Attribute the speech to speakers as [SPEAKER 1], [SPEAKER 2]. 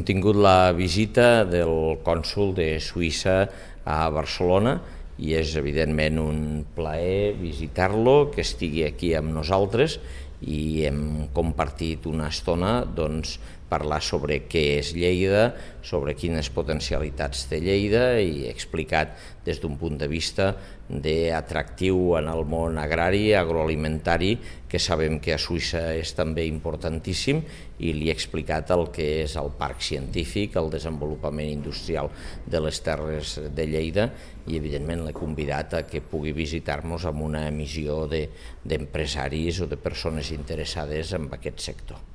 [SPEAKER 1] Hem tingut la visita del cònsol de Suïssa a Barcelona i és evidentment un plaer visitar-lo, que estigui aquí amb nosaltres, i hem compartit una estona parlar sobre què és Lleida, sobre quines potencialitats té Lleida, i he explicat des d'un punt de vista d'atractiu en el món agrari, agroalimentari, que sabem que a Suïssa és també importantíssim, i li he explicat el que és el parc científic, el desenvolupament industrial de les terres de Lleida, i evidentment l'he convidat a que pugui visitar-nos amb una emissió d'empresaris o de persones interessades en aquest sector.